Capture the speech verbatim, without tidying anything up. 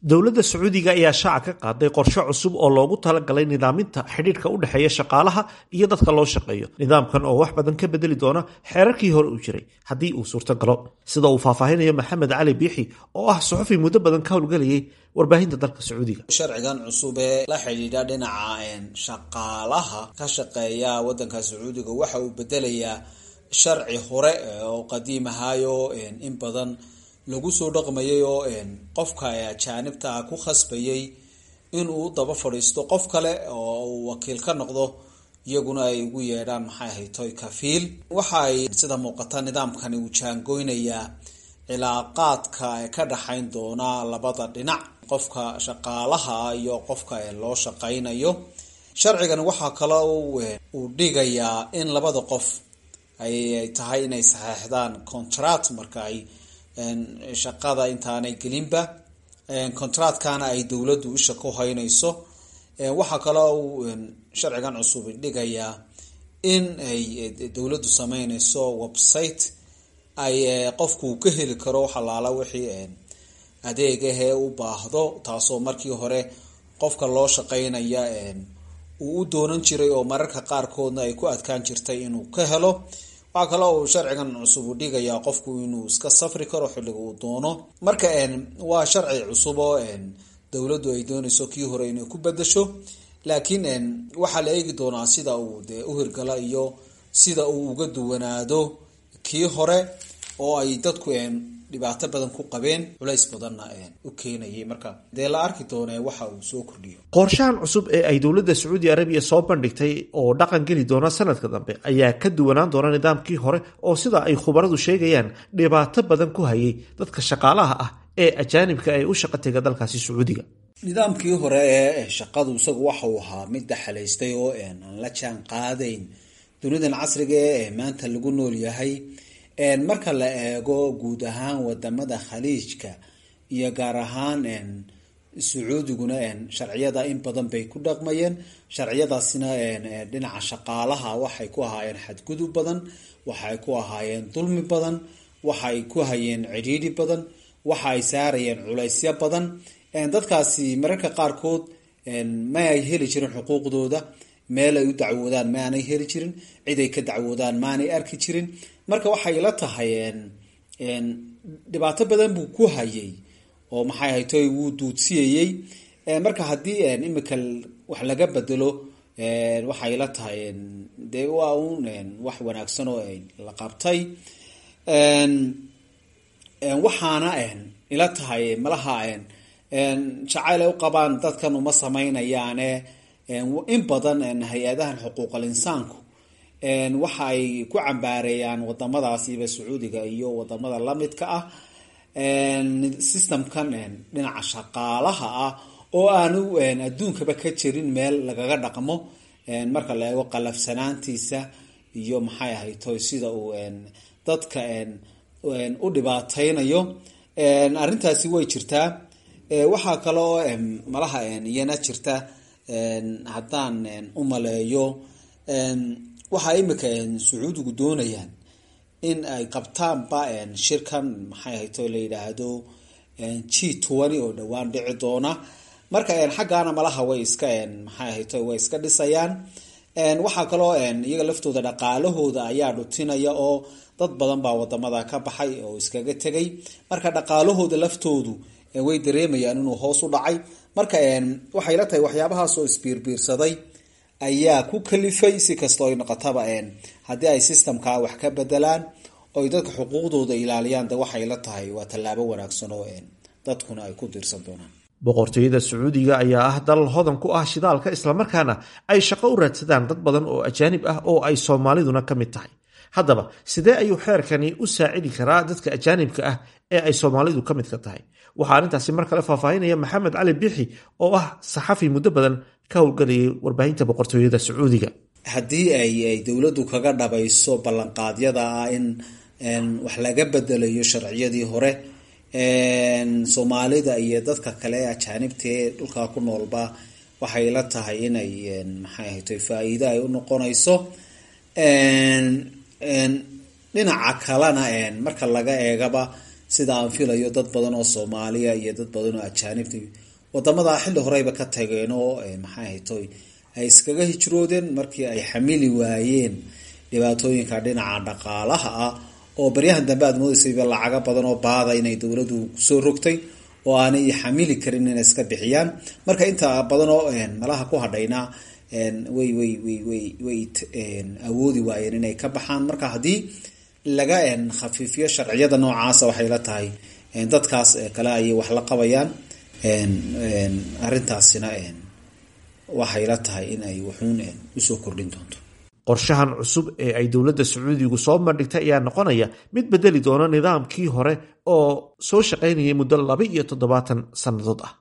Dowladda Sacuudiga ayaa shaaca ka qaaday qorshe cusub oo loogu talagalay nidaaminta xidhiidhka u dhexeeya shaqaalaha iyo dadka loo shaqeeyo. Nidaamkan oo wax badan ka bedeli doona xeerarkii hore u jiray haddii uu suurtagalo, sida uu faahfaahinayo Maxamed Cali Biixi oo ah suxufi muddo badan ka howlgelayay warbaahinta dalka Sacuudiga. Sharcigan cusub ee la xidhiidha dhinaca shaqaalaha ka shaqeeya wadanka Sacuudiga waxa uu bedelayaa sharci hore oo qadiim ahaayo in badan lagu soo dhaqmayay, oo qofka ajaanibta ah ku khasbayay inuu daba fadhiisto qof kale oo uu wakiil ka noqdo, iyaguna ay ugu yeedhaan, maxay ahayd toy, kafiil. Waxa ay sida muuqata nidaamkani uu jaangoynayaa cilaaqaadka ka dhaxayn doona labada dhinac, qofka shaqaalaha iyo qofka loo shaqaynayo. Sharcigan waxaa kale uu dhigayaa in labada qof ay tahay inay saxeexdaan contract marka ay shaqada intaanay gelinba, contractkana ay dowladdu isha ku haynayso. Waxaa kaloo uu sharcigan cusub dhigayaa in ay dowladdu sameynayso website ay qofku ka heli karo xalaala wixii adeegahee u baahdo, taasoo markii hore qofka loo shaqeynaya uu u doonan jiray oo mararka qaarkoodna ay ku adkaan jirtay inuu ka helo. Waxaa kaloo uu sharcigan cusub u dhigayaa qofku inuu iska safri karo xilliga uu doono. Marka waa sharci cusub oo dowladdu ay doonayso kii hore inay ku bedasho, laakiin waxaa la eegi doonaa sida uu dee u hirgala iyo sida uu uga duwanaado kii hore oo ay dadku dhibaato badan ku qabeen, culays badanna u keenayay. Marka dee la arki doonee waxa uu soo kordhiyo. Qorshahan cusub ee ay dowladda Sacuudi Arabiya soo bandhigtay oo dhaqan geli doona sanadka dambe ayaa ka duwanaan doona nidaamkii hore oo, sida ay khubaradu sheegayaan, dhibaato badan ku hayay dadka shaqaalaha ah ee ajaanibka ee u shaqo tega dalkaasi Sacuudiga. Nidaamkii hore ee shaqadu isagu waxa uu ahaa mid daxalaystay oo aan la jaan qaadayn dunidan casriga ee maanta lagu nool yahay. Marka la eego guud ahaan wadamada Khaliijka iyo gaar ahaan Sacuudiguna, sharciyada in badan bay ku dhaqmayeen. Sharciyadaasina dhinaca shaqaalaha waxay ku ahaayeen xadgudub badan, waxay ku ahaayeen dulmi badan, waxay ku hayeen cidhiidhi badan, waxa ay saarayeen culaysyo badan. Dadkaasi mararka qaarkood ma ay heli jirin xuquuqdooda, meel ay u dacwoodaan ma aanay heli jirin, cid ay ka dacwoodaan maanay arki jirin. Marka waxay la tahay dhibaato badan buu ku hayay oo, maxay haytoy, wuu duudsiyayey. Marka haddii imika wax laga bedelo, waxay la tahay dee waa uun wax wanaagsan oo la qabtay. Waxaana ila tahay malaha jacayl ay u qabaan dadkan uma samaynayaane, in badan hay-adahan xuquuqal insaanku waxa ay ku cambaareeyaan wadamadaasiba, Sacuudiga iyo wadamada lamidka ah, systemkan dhinaca shaqaalaha ah oo aanu adduunkaba ka jirin meel lagaga dhaqmo marka la eego qalafsanaantiisa iyo, maxay ahaytoy, sida uu dadka u dhibaateynayo. Arrintaasi way jirtaa. Waxaa kale oo malaha iyana jirta, haddaan u maleeyo, waxaa imika Sacuudigu doonayaan in ay qabtaanba shirkan, maxay ahayto, la yidhaahdo G twenty oo dhowaan dhici doona. Marka xaggaana malaha way iska, maxay ahayto, way iska dhisayaan. Waxaa kaloo iyaga laftooda dhaqaalahooda ayaa dhutinaya oo dad badan baa wadamada ka baxay oo iskaga tegay. Marka dhaqaalahooda laftoodu way dareemayaan inuu hoos u dhacay. Marka waxay la tahay waxyaabahaas oo isbiirbiirsaday ayaa ku kalifay. Si kastoo ay noqotaba, haddii ay systemka wax ka bedelaan oy dadka xuquuqdooda ilaaliyaan, de waxay la tahay waa tallaabo wanaagsan oo dadkuna ay ku diirsan doonaan. Boqortooyada Sacuudiga ayaa ah dal hodan ku ah shidaalka, islamarkaana ay shaqo u raadsadaan dad badan oo ajaanib ah oo ay Soomaaliduna ka mid tahay. Haddaba sidee ayuu xeerkani u saacidi karaa dadka ajaanibka ah ee ay Soomaalidu ka midka tahay? Waxaa arrintaasi mar kale faahfaahinaya Maxamed Cali Bixi oo ah saxafi muddo badan ka howlgelayay warbaahinta Boqortooyada Sacuudiga. Haddii ay dowladdu kaga dhabayso ballanqaadyada ah in wax laga bedelayo sharciyadii hore, Soomaalida iyo dadka kale ee ajaanibta ee dhulkaa ku noolba waxay la tahay inay, maxay ahayto, faa-iido ay u noqonayso. Dhinaca kalena marka laga eegaba Sida aan filayo, dad badan oo Soomaaliya iyo dad badan oo ajaanibta wadamada xilli horeyba ka tageen oo, maxay ahaytoy, ay iskaga hijroodeen markii ay xamili waayeen dhibaatooyinka dhinaca dhaqaalaha ah, oo baryahan dambe aad moodeysayba lacago badan oo baada inay dowladdu kusoo rogtay oo aanay xamili karin inay iska bixiyaan. Marka inta badan oo malaha ku hadhayna way way way way way awoodi waayeen inay ka baxaan. Marka haddii laga khafiifiyo sharciyada noocaasa, waxay la tahay dadkaas kale ayay wax la qabayaan. Arrintaasina waxay la tahay in ay wuxuun usoo kordhin doonto. Qorshahan cusub ee ay dowladda Sacuudigu soo bandhigtay ayaa noqonaya mid bedeli doona nidaamkii hore oo soo shaqaynayay muddo laba iyo toddobaatan sannadood ah.